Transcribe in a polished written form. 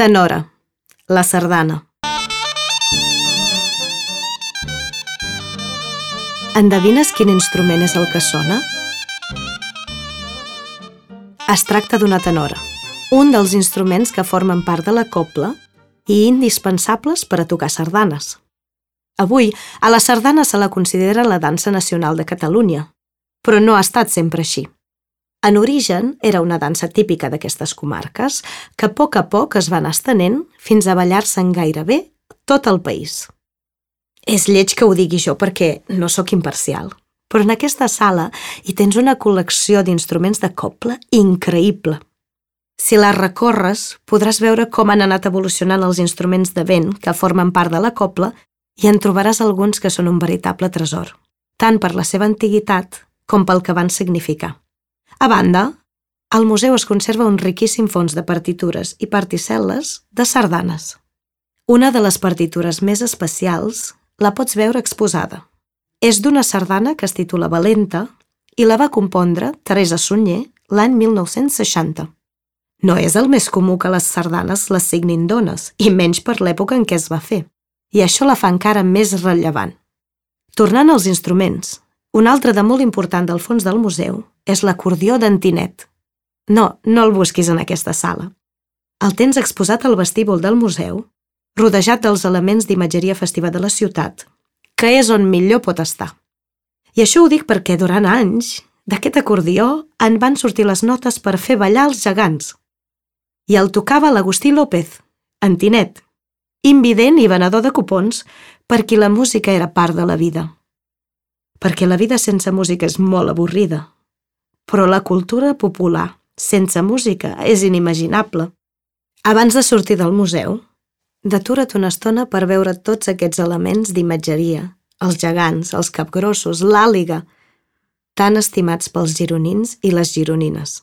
Tenora, la sardana. Endevines quin instrument és el que sona? Es tracta d'una tenora, un dels instruments que formen part de la cobla i indispensables per a tocar sardanes. Avui, a la sardana se la considera la dansa nacional de Catalunya, però no ha estat sempre així. En origen, era una dansa típica d'aquestes comarques que a poc es va anar estenent fins a ballar-se en gairebé tot el país. És lleig que ho digui jo perquè no sóc imparcial, però en aquesta sala hi tens una col·lecció d'instruments de cobla increïble. Si la recorres, podràs veure com han anat evolucionant els instruments de vent que formen part de la cobla i en trobaràs alguns que són un veritable tresor, tant per la seva antiguitat com pel que van significar. A banda, al museu es conserva un riquíssim fons de partitures i particel·les de sardanes. Una de les partitures més especials la pots veure exposada. És d'una sardana que es titula Valenta i la va compondre Teresa Sunyer l'any 1960. No és el més comú que les sardanes les signin dones, i menys per l'època en què es va fer, i això la fa encara més rellevant. Tornant als instruments, un altre de molt important del fons del museu és l'acordió d'en Tinet. No el busquis en aquesta sala. El tens exposat al vestíbul del museu, rodejat dels elements d'imatgeria festiva de la ciutat, que és on millor pot estar. I això ho dic perquè durant anys d'aquest acordió en van sortir les notes per fer ballar els gegants. I el tocava l'Agustí López, en Tinet, invident i venedor de cupons per qui la música era part de la vida. Perquè la vida sense música és molt avorrida, però la cultura popular sense música és inimaginable. Abans de sortir del museu, detura't una estona per veure tots aquests elements d'imatgeria, els gegants, els capgrossos, l'àliga, tan estimats pels gironins i les gironines.